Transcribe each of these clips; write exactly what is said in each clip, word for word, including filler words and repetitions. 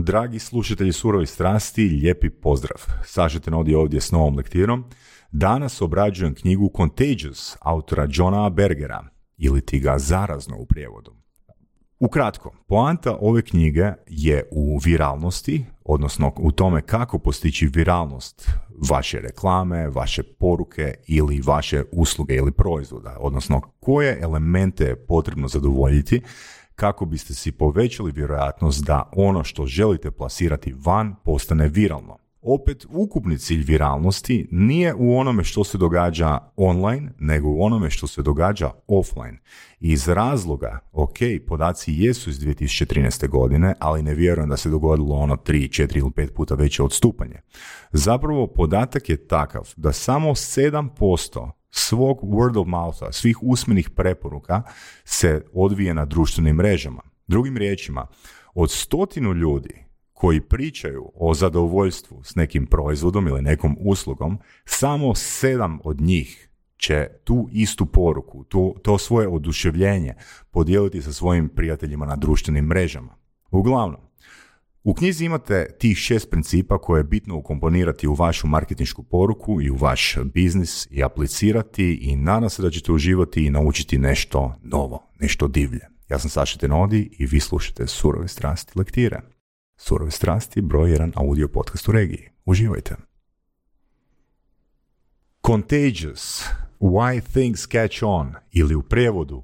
Dragi slušatelji Surovih strasti, lijepi pozdrav. Saša Tenodi ovdje s novom lektirom. Danas obrađujem knjigu Contagious autora Johna Bergera, ili ti ga zarazno u prijevodu. Ukratko, poanta ove knjige je u viralnosti, odnosno u tome kako postići viralnost vaše reklame, vaše poruke ili vaše usluge ili proizvoda, odnosno koje elemente je potrebno zadovoljiti kako biste si povećali vjerojatnost da ono što želite plasirati van postane viralno. Opet, ukupni cilj viralnosti nije u onome što se događa online, nego u onome što se događa offline. I iz razloga, ok, podaci jesu iz dvije tisuće trinaeste. godine, ali ne vjerujem da se dogodilo ono tri, četiri ili pet puta veće odstupanje. Zapravo, podatak je takav da samo sedam posto svog word of moutha, svih usmenih preporuka se odvije na društvenim mrežama. Drugim riječima, od stotinu ljudi koji pričaju o zadovoljstvu s nekim proizvodom ili nekom uslugom, samo sedam od njih će tu istu poruku, to, to svoje oduševljenje podijeliti sa svojim prijateljima na društvenim mrežama. Uglavnom, u knjizi imate tih šest principa koje je bitno ukomponirati u vašu marketinšku poruku i u vaš biznis i aplicirati i nadam se da ćete uživati i naučiti nešto novo, nešto divlje. Ja sam Saša Tenodi i vi slušate Surove strasti lektire. Surove strasti, broj jedan audio podcast u regiji. Uživajte. Contagious, why things catch on, ili u prijevodu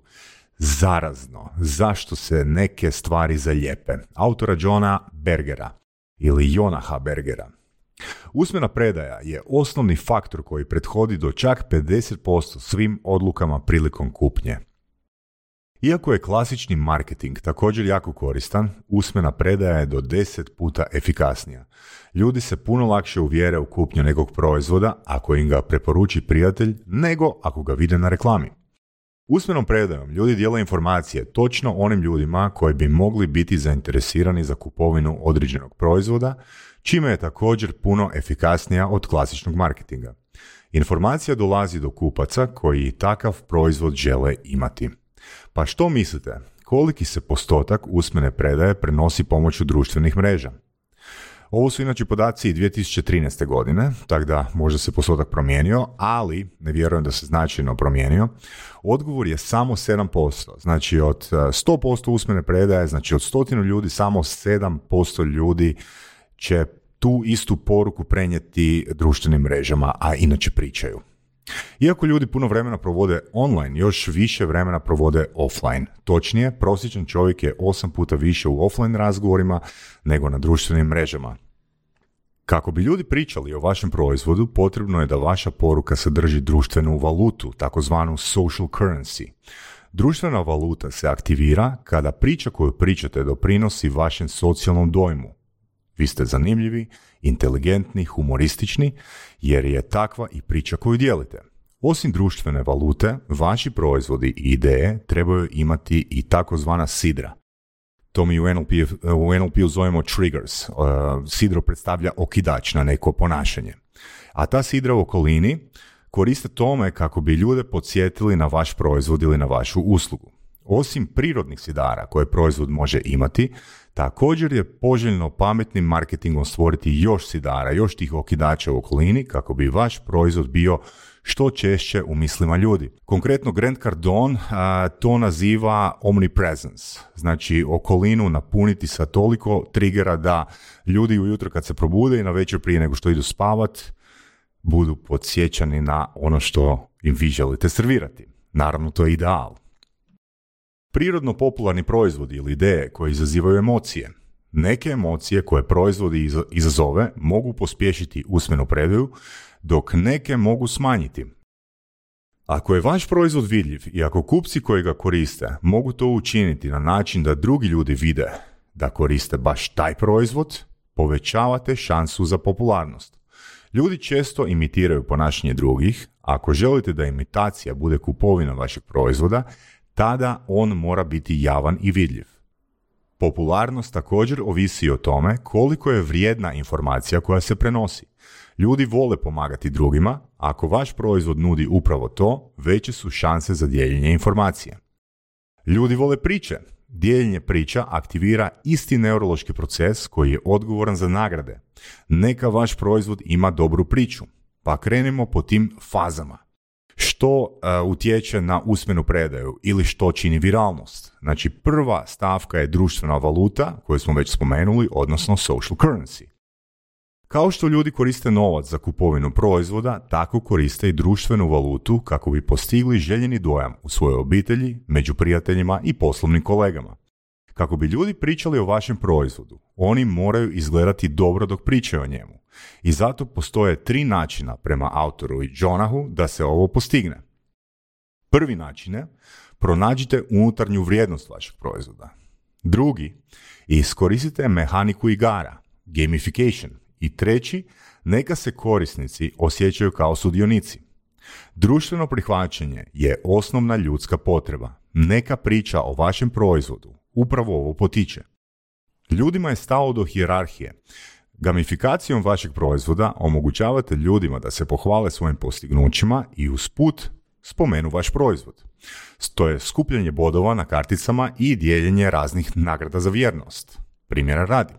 zarazno, zašto se neke stvari zalijepe. Autora Johna Bergera ili Jonaha Bergera. Usmena predaja je osnovni faktor koji prethodi do čak pedeset posto svim odlukama prilikom kupnje. Iako je klasični marketing također jako koristan, usmena predaja je do deset puta efikasnija. Ljudi se puno lakše uvjere u kupnju nekog proizvoda ako im ga preporuči prijatelj nego ako ga vide na reklami. Usmenom predajom ljudi dijele informacije točno onim ljudima koji bi mogli biti zainteresirani za kupovinu određenog proizvoda, čime je također puno efikasnija od klasičnog marketinga. Informacija dolazi do kupaca koji takav proizvod žele imati. Pa što mislite, koliki se postotak usmene predaje prenosi pomoću društvenih mreža? Ovo su inače podaci dvije tisuće trinaeste. godine, tako da možda se postotak promijenio, ali ne vjerujem da se značajno promijenio. Odgovor je samo sedam posto, znači od sto posto usmene predaje, znači od stotinu ljudi, samo sedam posto ljudi će tu istu poruku prenijeti društvenim mrežama, a inače pričaju. Iako ljudi puno vremena provode online, još više vremena provode offline. Točnije, prosječan čovjek je osam puta više u offline razgovorima nego na društvenim mrežama. Kako bi ljudi pričali o vašem proizvodu, potrebno je da vaša poruka sadrži društvenu valutu, takozvanu social currency. Društvena valuta se aktivira kada priča koju pričate doprinosi vašem socijalnom dojmu. Vi ste zanimljivi, inteligentni, humoristični, jer je takva i priča koju dijelite. Osim društvene valute, vaši proizvodi i ideje trebaju imati i takozvana sidra. To mi u N L P, u N L P-u zovemo triggers. Uh, sidro predstavlja okidač na neko ponašanje. A ta sidra u okolini koriste tome kako bi ljude podsjetili na vaš proizvod ili na vašu uslugu. Osim prirodnih sidara koje proizvod može imati, također je poželjno pametnim marketingom stvoriti još sidara, još tih okidača u okolini kako bi vaš proizvod bio što češće u mislima ljudi. Konkretno Grant Cardone a, to naziva omnipresence, znači okolinu napuniti sa toliko trigera da ljudi ujutro kad se probude i na večer prije nego što idu spavat budu podsjećani na ono što im vi želite servirati. Naravno, to je ideal. Prirodno popularni proizvodi ili ideje koje izazivaju emocije. Neke emocije koje proizvodi izazove mogu pospješiti usmenu predaju, dok neke mogu smanjiti. Ako je vaš proizvod vidljiv i ako kupci koji ga koriste mogu to učiniti na način da drugi ljudi vide da koriste baš taj proizvod, povećavate šansu za popularnost. Ljudi često imitiraju ponašanje drugih. Ako želite da imitacija bude kupovina vašeg proizvoda, tada on mora biti javan i vidljiv. Popularnost također ovisi o tome koliko je vrijedna informacija koja se prenosi. Ljudi vole pomagati drugima, ako vaš proizvod nudi upravo to, veće su šanse za dijeljenje informacije. Ljudi vole priče. dijeljenje priča aktivira isti neurološki proces koji je odgovoran za nagrade. Neka vaš proizvod ima dobru priču. Pa krenemo po tim fazama. Što uh, utječe na usmenu predaju ili što čini viralnost? Znači, prva stavka je društvena valuta, koju smo već spomenuli, odnosno social currency. Kao što ljudi koriste novac za kupovinu proizvoda, tako koriste i društvenu valutu kako bi postigli željeni dojam u svojoj obitelji, među prijateljima i poslovnim kolegama. Kako bi ljudi pričali o vašem proizvodu, oni moraju izgledati dobro dok pričaju o njemu. I zato postoje tri načina prema autoru i Jonahu da se ovo postigne. Prvi način je pronađite unutarnju vrijednost vašeg proizvoda. Drugi, iskoristite mehaniku igara, gamification. I treći, neka se korisnici osjećaju kao sudionici. Društveno prihvaćanje je osnovna ljudska potreba. Neka priča o vašem proizvodu upravo ovo potiče. Ljudima je stalo do hijerarhije. Gamifikacijom vašeg proizvoda omogućavate ljudima da se pohvale svojim postignućima i usput spomenu vaš proizvod. To je skupljanje bodova na karticama i dijeljenje raznih nagrada za vjernost. Primjera radi.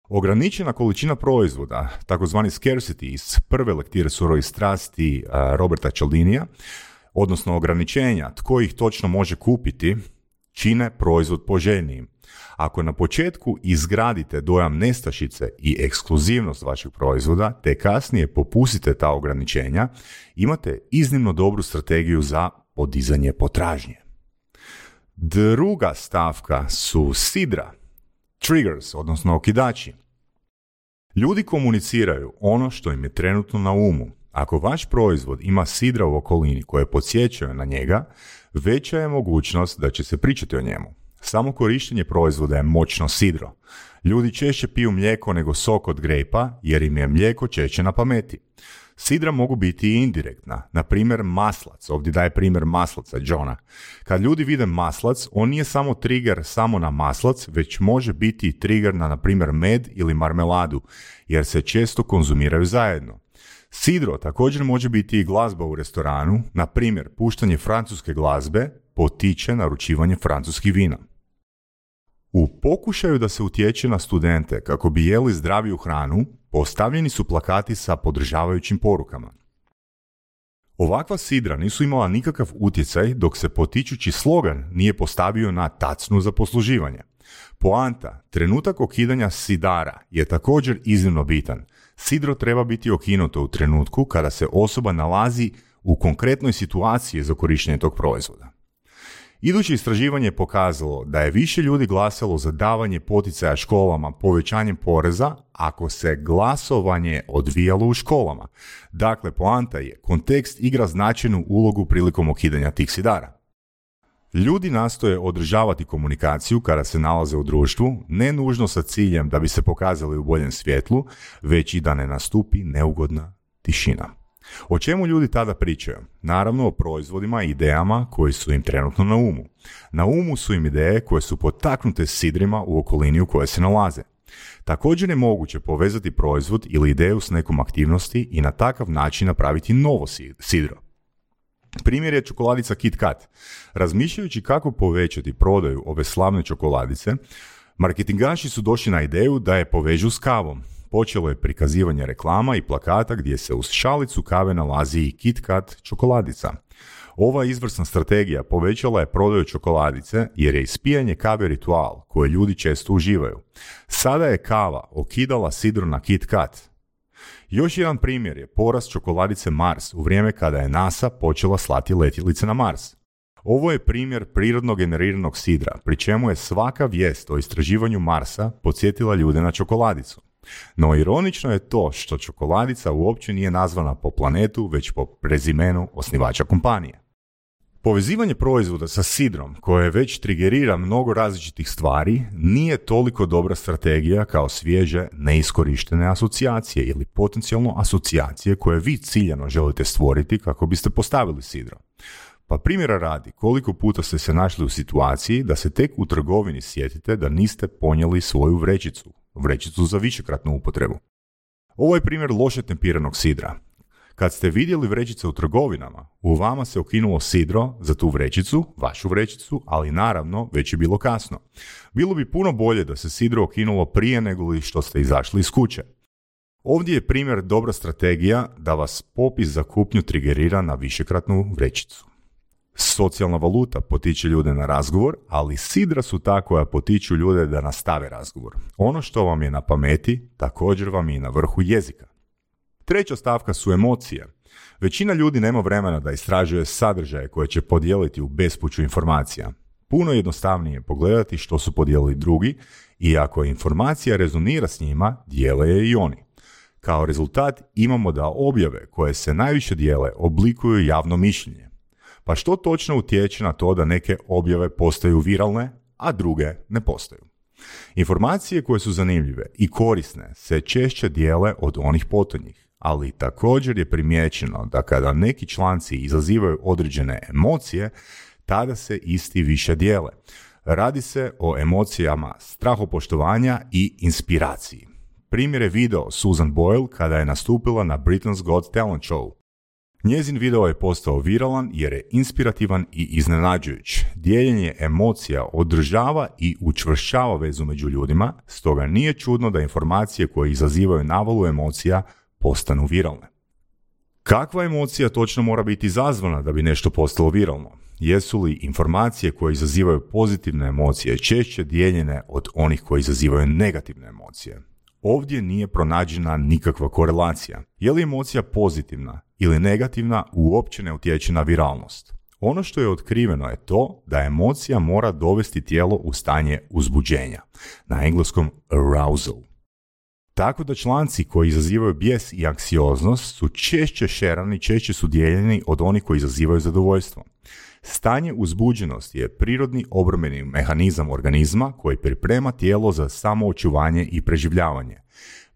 Ograničena količina proizvoda, takozvani scarcity iz prve lektire Surovih strasti Roberta Cialdinija, odnosno ograničenja tko ih točno može kupiti, čine proizvod poželjnijim. Ako na početku izgradite dojam nestašice i ekskluzivnost vašeg proizvoda, te kasnije popustite ta ograničenja, imate iznimno dobru strategiju za podizanje potražnje. Druga stavka su sidra, triggers, odnosno okidači. Ljudi komuniciraju ono što im je trenutno na umu. Ako vaš proizvod ima sidra u okolini koje podsjećaju na njega, veća je mogućnost da će se pričati o njemu. Samo korištenje proizvoda je moćno sidro. Ljudi češće piju mlijeko nego sok od grejpa jer im je mlijeko češće na pameti. Sidra mogu biti i indirektna, na primjer maslac, ovdje daje primjer maslaca Johna. Kad ljudi vide maslac, on nije samo trigger samo na maslac, već može biti i trigger na, na primjer, med ili marmeladu, jer se često konzumiraju zajedno. Sidro također može biti i glazba u restoranu, na primjer, puštanje francuske glazbe potiče naručivanje francuskih vina. U pokušaju da se utječe na studente kako bi jeli zdraviju hranu, postavljeni su plakati sa podržavajućim porukama. Ovakva sidra nisu imala nikakav utjecaj dok se potičući slogan nije postavio na tacnu za posluživanje. Poanta, trenutak okidanja sidara je također iznimno bitan. Sidro treba biti okinuto u trenutku kada se osoba nalazi u konkretnoj situaciji za korištenje tog proizvoda. Iduće istraživanje je pokazalo da je više ljudi glasalo za davanje poticaja školama povećanjem poreza ako se glasovanje odvijalo u školama. Dakle, poanta je, kontekst igra značajnu ulogu prilikom okidanja tih sidara. Ljudi nastoje održavati komunikaciju kada se nalaze u društvu, ne nužno sa ciljem da bi se pokazali u boljem svjetlu, već i da ne nastupi neugodna tišina. O čemu ljudi tada pričaju? Naravno o proizvodima i idejama koji su im trenutno na umu. Na umu su im ideje koje su potaknute sidrima u okolini u kojoj se nalaze. Također je moguće povezati proizvod ili ideju s nekom aktivnosti i na takav način napraviti novo sidro. Primjer je čokoladica Kit Kat. Razmišljajući kako povećati prodaju ove slavne čokoladice, marketingaši su došli na ideju da je povežu s kavom. Počelo je prikazivanje reklama i plakata gdje se uz šalicu kave nalazi i Kit Kat čokoladica. Ova izvrsna strategija povećala je prodaju čokoladice jer je ispijanje kave ritual koje ljudi često uživaju. Sada je kava okidala sidro na Kit Kat. Još jedan primjer je porast čokoladice Mars u vrijeme kada je NASA počela slati letjelice na Mars. Ovo je primjer prirodno generiranog sidra, pri čemu je svaka vijest o istraživanju Marsa podsjetila ljude na čokoladicu. No ironično je to što čokoladica uopće nije nazvana po planetu, već po prezimenu osnivača kompanije. Povezivanje proizvoda sa sidrom, koje već trigerira mnogo različitih stvari, nije toliko dobra strategija kao svježe, neiskorištene asocijacije ili potencijalno asocijacije koje vi ciljano želite stvoriti kako biste postavili sidro. Pa primjera radi, koliko puta ste se našli u situaciji da se tek u trgovini sjetite da niste ponijeli svoju vrećicu, vrećicu za višekratnu upotrebu. Ovo je primjer loše tempiranog sidra. Kad ste vidjeli vrećice u trgovinama, u vama se okinulo sidro za tu vrećicu, vašu vrećicu, ali naravno već je bilo kasno. Bilo bi puno bolje da se sidro okinulo prije nego li što ste izašli iz kuće. Ovdje je primjer dobra strategija da vas popis za kupnju trigerira na višekratnu vrećicu. Socijalna valuta potiče ljude na razgovor, ali sidra su ta koja potiču ljude da nastave razgovor. Ono što vam je na pameti, također vam je na vrhu jezika. Treća stavka su emocije. Većina ljudi nema vremena da istražuje sadržaje koje će podijeliti u bespuću informacija. Puno jednostavnije je pogledati što su podijelili drugi i ako informacija rezonira s njima, dijele je i oni. Kao rezultat imamo da objave koje se najviše dijele oblikuju javno mišljenje. Pa što točno utječe na to da neke objave postaju viralne, a druge ne postaju? Informacije koje su zanimljive i korisne se češće dijele od onih potonjih, ali također je primijećeno da kada neki članci izazivaju određene emocije, tada se isti više dijele. Radi se o emocijama strahopoštovanja i inspiraciji. Primjer je video Susan Boyle kada je nastupila na Britain's Got Talent Show. Njezin video je postao viralan jer je inspirativan i iznenađujuć. Dijeljenje emocija održava i učvršćava vezu među ljudima, stoga nije čudno da informacije koje izazivaju navalu emocija postanu viralne. Kakva emocija točno mora biti izazvana da bi nešto postalo viralno? Jesu li informacije koje izazivaju pozitivne emocije češće dijeljene od onih koje izazivaju negativne emocije? Ovdje nije pronađena nikakva korelacija. Je li emocija pozitivna ili negativna uopće ne utječe na viralnost. Ono što je otkriveno je to da emocija mora dovesti tijelo u stanje uzbuđenja, na engleskom arousal. Tako da članci koji izazivaju bijes i anksioznost su češće šerani, češće su dijeljeni od onih koji izazivaju zadovoljstvo. Stanje uzbuđenosti je prirodni obrambeni mehanizam organizma koji priprema tijelo za samoočuvanje i preživljavanje.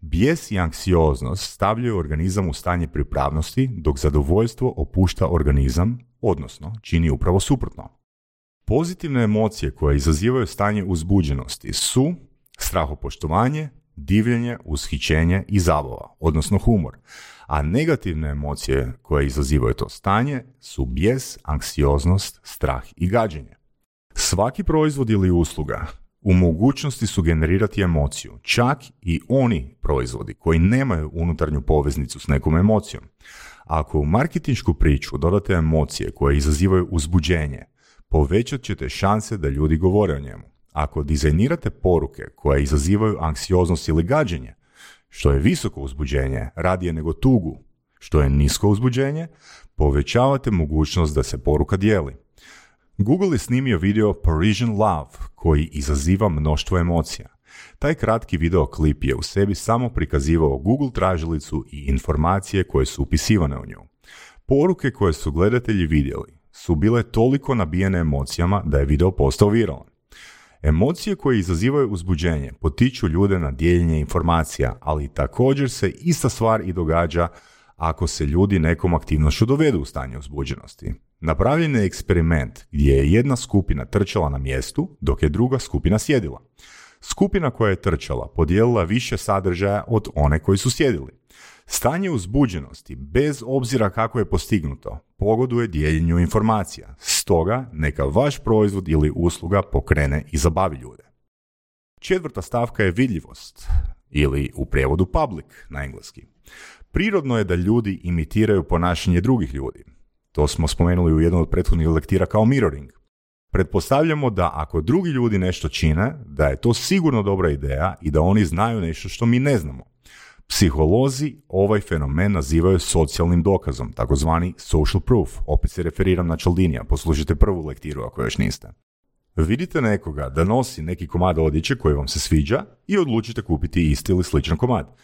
Bijes i anksioznost stavljaju organizam u stanje pripravnosti, dok zadovoljstvo opušta organizam, odnosno čini upravo suprotno. Pozitivne emocije koje izazivaju stanje uzbuđenosti su strahopoštovanje, divljenje, ushićenje i zabava, odnosno humor. A negativne emocije koje izazivaju to stanje su bijes, anksioznost, strah i gađenje. Svaki proizvod ili usluga u mogućnosti su generirati emociju, čak i oni proizvodi koji nemaju unutarnju poveznicu s nekom emocijom. Ako u marketinšku priču dodate emocije koje izazivaju uzbuđenje, povećat ćete šanse da ljudi govore o njemu. Ako dizajnirate poruke koje izazivaju anksioznost ili gađenje, što je visoko uzbuđenje radije nego tugu, što je nisko uzbuđenje, povećavate mogućnost da se poruka dijeli. Google je snimio video Parisian Love koji izaziva mnoštvo emocija. Taj kratki videoklip je u sebi samo prikazivao Google tražilicu i informacije koje su upisivane u nju. Poruke koje su gledatelji vidjeli su bile toliko nabijene emocijama da je video postao viralan. Emocije koje izazivaju uzbuđenje potiču ljude na dijeljenje informacija, ali također se ista stvar i događa ako se ljudi nekom aktivnošću dovedu u stanje uzbuđenosti. Napravljen je eksperiment gdje je jedna skupina trčala na mjestu, dok je druga skupina sjedila. Skupina koja je trčala podijelila više sadržaja od one koji su sjedili. Stanje uzbuđenosti, bez obzira kako je postignuto, pogoduje dijeljenju informacija. Stoga, neka vaš proizvod ili usluga pokrene i zabavi ljude. Četvrta stavka je vidljivost, ili u prijevodu public na engleski. Prirodno je da ljudi imitiraju ponašanje drugih ljudi. To smo spomenuli u jednom od prethodnih lektira kao mirroring. Pretpostavljamo da ako drugi ljudi nešto čine, da je to sigurno dobra ideja i da oni znaju nešto što mi ne znamo. Psiholozi ovaj fenomen nazivaju socijalnim dokazom, takozvani social proof. Opet se referiram na Cialdinija, poslušajte prvu lektiru ako još niste. Vidite nekoga da nosi neki komad odjeće koji vam se sviđa i odlučite kupiti isti ili sličan komad.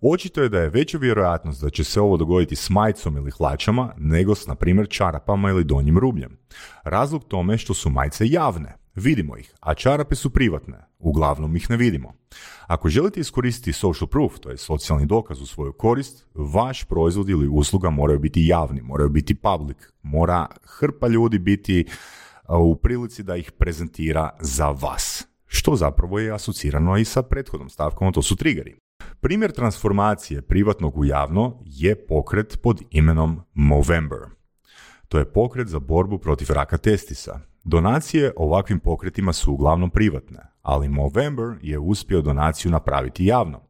Očito je da je veća vjerojatnost da će se ovo dogoditi s majicom ili hlačama nego s, na primjer, čarapama ili donjim rubljem. Razlog tome što su majice javne, vidimo ih, a čarape su privatne, uglavnom ih ne vidimo. Ako želite iskoristiti social proof, to je socijalni dokaz u svoju korist, vaš proizvod ili usluga moraju biti javni, moraju biti public, mora hrpa ljudi biti u prilici da ih prezentira za vas, što zapravo je asocirano i sa prethodnom stavkom, to su triggeri. Primjer transformacije privatnog u javno je pokret pod imenom Movember. To je pokret za borbu protiv raka testisa. Donacije ovakvim pokretima su uglavnom privatne, ali Movember je uspio donaciju napraviti javno.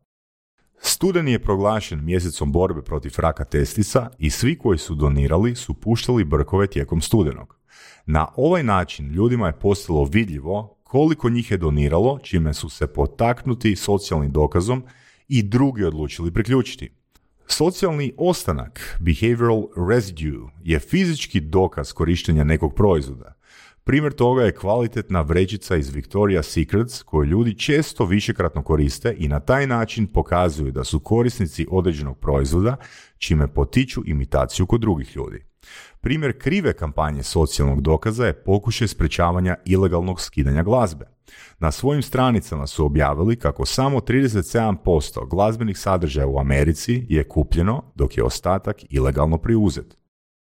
Studeni je proglašen mjesecom borbe protiv raka testisa i svi koji su donirali su puštali brkove tijekom studenog. Na ovaj način ljudima je postalo vidljivo koliko njih je doniralo, čime su se potaknuti socijalnim dokazom i drugi odlučili priključiti. Socijalni ostanak, behavioral residue, je fizički dokaz korištenja nekog proizvoda. Primjer toga je kvalitetna vrećica iz Victoria's Secrets koju ljudi često višekratno koriste i na taj način pokazuju da su korisnici određenog proizvoda, čime potiču imitaciju kod drugih ljudi. Primjer krive kampanje socijalnog dokaza je pokušaj sprečavanja ilegalnog skidanja glazbe. Na svojim stranicama su objavili kako samo trideset sedam posto glazbenih sadržaja u Americi je kupljeno, dok je ostatak ilegalno preuzet.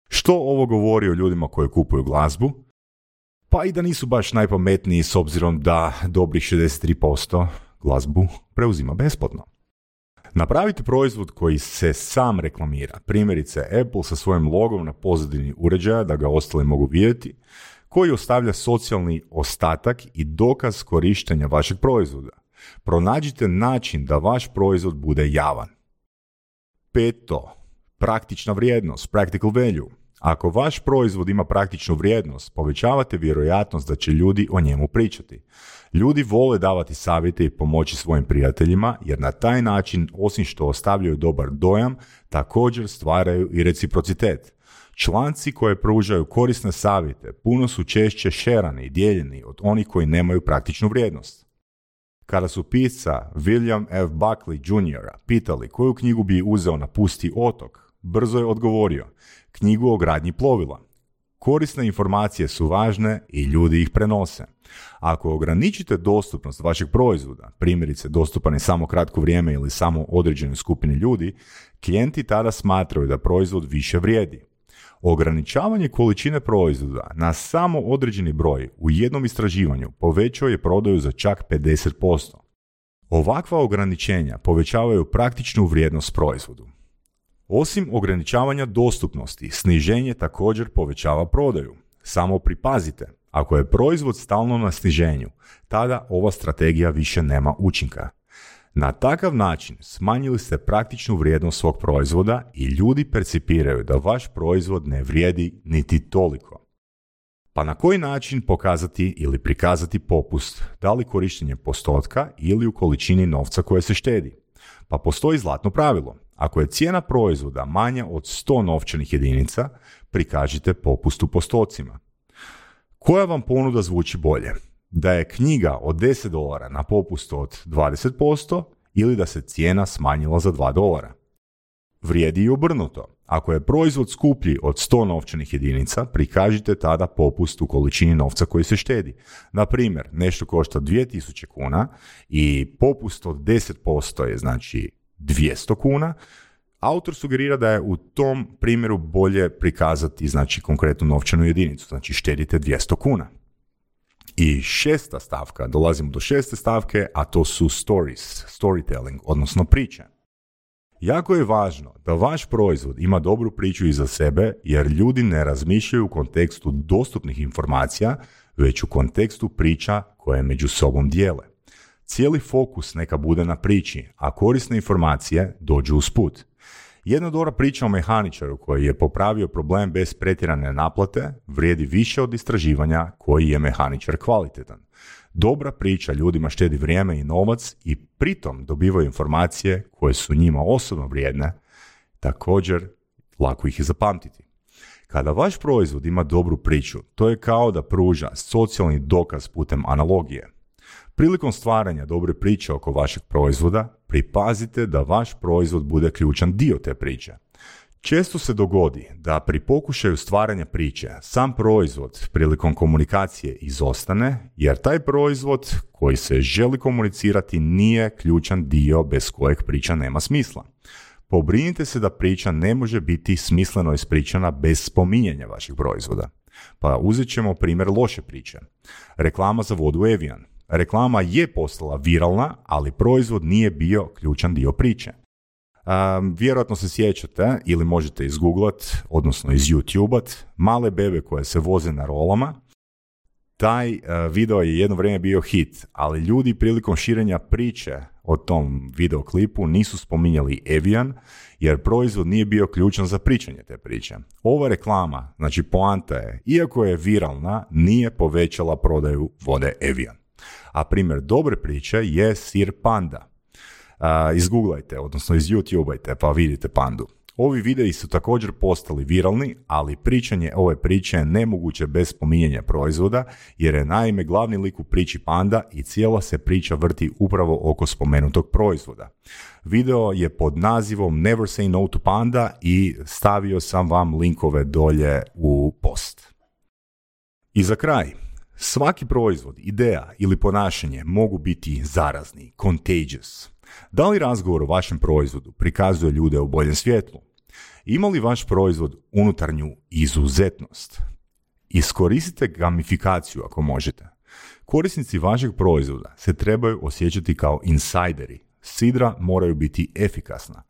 Što ovo govori o ljudima koji kupuju glazbu? Pa i da nisu baš najpametniji s obzirom da dobrih šezdeset tri posto glazbu preuzima besplatno. Napravite proizvod koji se sam reklamira, primjerice Apple sa svojim logom na pozadini uređaja da ga ostali mogu vidjeti, koji ostavlja socijalni ostatak i dokaz korištenja vašeg proizvoda. Pronađite način da vaš proizvod bude javan. Peto, praktična vrijednost, practical value. Ako vaš proizvod ima praktičnu vrijednost, povećavate vjerojatnost da će ljudi o njemu pričati. Ljudi vole davati savjete i pomoći svojim prijateljima, jer na taj način, osim što ostavljaju dobar dojam, također stvaraju i reciprocitet. Članci koje pružaju korisne savjete puno su češće šerani i dijeljeni od onih koji nemaju praktičnu vrijednost. Kada su pisca William F. Buckley junior pitali koju knjigu bi uzeo na pusti otok, brzo je odgovorio: knjigu o gradnji plovila. Korisne informacije su važne i ljudi ih prenose. Ako ograničite dostupnost vašeg proizvoda, primjerice dostupan je samo kratko vrijeme ili samo određenoj skupini ljudi, klijenti tada smatraju da proizvod više vrijedi. Ograničavanje količine proizvoda na samo određeni broj u jednom istraživanju povećao je prodaju za čak pedeset posto. Ovakva ograničenja povećavaju praktičnu vrijednost proizvodu. Osim ograničavanja dostupnosti, sniženje također povećava prodaju. Samo pripazite, ako je proizvod stalno na sniženju, tada ova strategija više nema učinka. Na takav način smanjili ste praktičnu vrijednost svog proizvoda i ljudi percipiraju da vaš proizvod ne vrijedi niti toliko. Pa na koji način pokazati ili prikazati popust, da li korištenje postotka ili u količini novca koje se štedi? Pa postoji zlatno pravilo. Ako je cijena proizvoda manja od sto novčanih jedinica, prikažite popust u postocima. Koja vam ponuda zvuči bolje? Da je knjiga od deset dolara na popust od dvadeset posto ili da se cijena smanjila za dva dolara? Vrijedi i obrnuto. Ako je proizvod skuplji od sto novčanih jedinica, prikažite tada popust u količini novca koji se štedi. Na primjer, nešto košta dvije tisuće kuna i popust od deset posto je znači dvjesto kuna. Autor sugerira da je u tom primjeru bolje prikazati znači konkretnu novčanu jedinicu, znači štedite dvjesto kuna. I šesta stavka, dolazimo do šeste stavke, a to su stories, storytelling, odnosno priče. Jako je važno da vaš proizvod ima dobru priču iza sebe, jer ljudi ne razmišljaju u kontekstu dostupnih informacija, već u kontekstu priča koje među sobom dijele. Cijeli fokus neka bude na priči, a korisne informacije dođu usput. Jedna dobra priča o mehaničaru koji je popravio problem bez pretjerane naplate vrijedi više od istraživanja koji je mehaničar kvalitetan. Dobra priča ljudima štedi vrijeme i novac i pritom dobivaju informacije koje su njima osobno vrijedne, također lako ih je zapamtiti. Kada vaš proizvod ima dobru priču, to je kao da pruža socijalni dokaz putem analogije. Prilikom stvaranja dobre priče oko vašeg proizvoda, pripazite da vaš proizvod bude ključan dio te priče. Često se dogodi da pri pokušaju stvaranja priče sam proizvod prilikom komunikacije izostane, jer taj proizvod koji se želi komunicirati nije ključan dio bez kojeg priča nema smisla. Pobrinite se da priča ne može biti smisleno ispričana bez spominjanja vašeg proizvoda. Pa uzet ćemo primjer loše priče. Reklama za vodu Evian. Reklama je postala viralna, ali proizvod nije bio ključan dio priče. Um, vjerojatno se sjećate ili možete izgooglat, odnosno iz YouTubeat, male bebe koje se voze na rolama. Taj uh, video je jedno vrijeme bio hit, ali ljudi prilikom širenja priče o tom videoklipu nisu spominjali Evian, jer proizvod nije bio ključan za pričanje te priče. Ova reklama, znači poanta je, iako je viralna, nije povećala prodaju vode Evian. A primjer dobre priče je sir Panda. Uh, izgooglajte, odnosno iz YouTubeajte pa vidite Pandu. Ovi videi su također postali viralni, ali pričanje ove priče je nemoguće bez spominjanja proizvoda, jer je naime glavni lik u priči Panda i cijela se priča vrti upravo oko spomenutog proizvoda. Video je pod nazivom Never Say No to Panda i stavio sam vam linkove dolje u post. I za kraj, svaki proizvod, ideja ili ponašanje mogu biti zarazni, contagious. Da li razgovor o vašem proizvodu prikazuje ljude u boljem svjetlu? Ima li vaš proizvod unutarnju izuzetnost? Iskoristite gamifikaciju ako možete. Korisnici vašeg proizvoda se trebaju osjećati kao insajderi. Sidra moraju biti efikasna.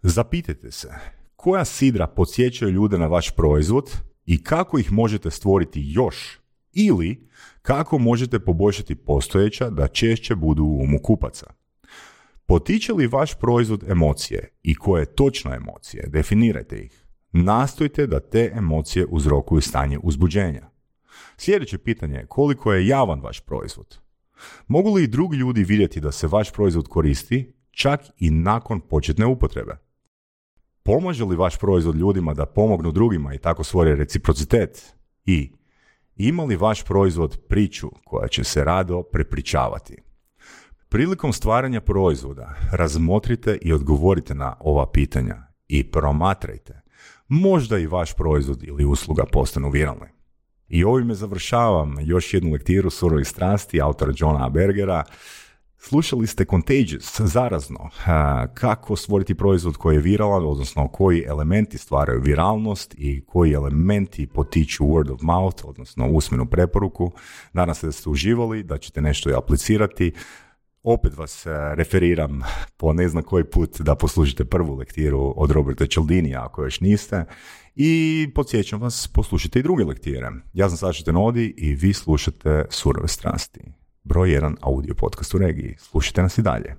Zapitajte se, koja sidra podsjećaju ljude na vaš proizvod i kako ih možete stvoriti još? Ili kako možete poboljšati postojeća da češće budu u umu kupaca? Potiče li vaš proizvod emocije i koje točno emocije? Definirajte ih. Nastojte da te emocije uzrokuju stanje uzbuđenja. Sljedeće pitanje je koliko je javan vaš proizvod? Mogu li drugi ljudi vidjeti da se vaš proizvod koristi čak i nakon početne upotrebe? Pomaže li vaš proizvod ljudima da pomognu drugima i tako stvore reciprocitet? I ima li vaš proizvod priču koja će se rado prepričavati? Prilikom stvaranja proizvoda razmotrite i odgovorite na ova pitanja i promatrajte. Možda i vaš proizvod ili usluga postanu viralni. I ovime završavam još jednu lektiru Surovih strasti autora Johna Bergera. Slušali ste Contagious, zarazno, kako stvoriti proizvod koji je viralan, odnosno koji elementi stvaraju viralnost i koji elementi potiču word of mouth, odnosno usmenu preporuku. Nadam se da ste uživali, da ćete nešto i aplicirati. Opet vas referiram po ne znam koji put da poslušate prvu lektiru od Roberta Cialdinija ako još niste i podsjećam vas poslušajte i druge lektire. Ja sam Saša Tenodi i vi slušate Surove strasti. Broj jedan audio podcast u regiji. Slušajte nas i dalje.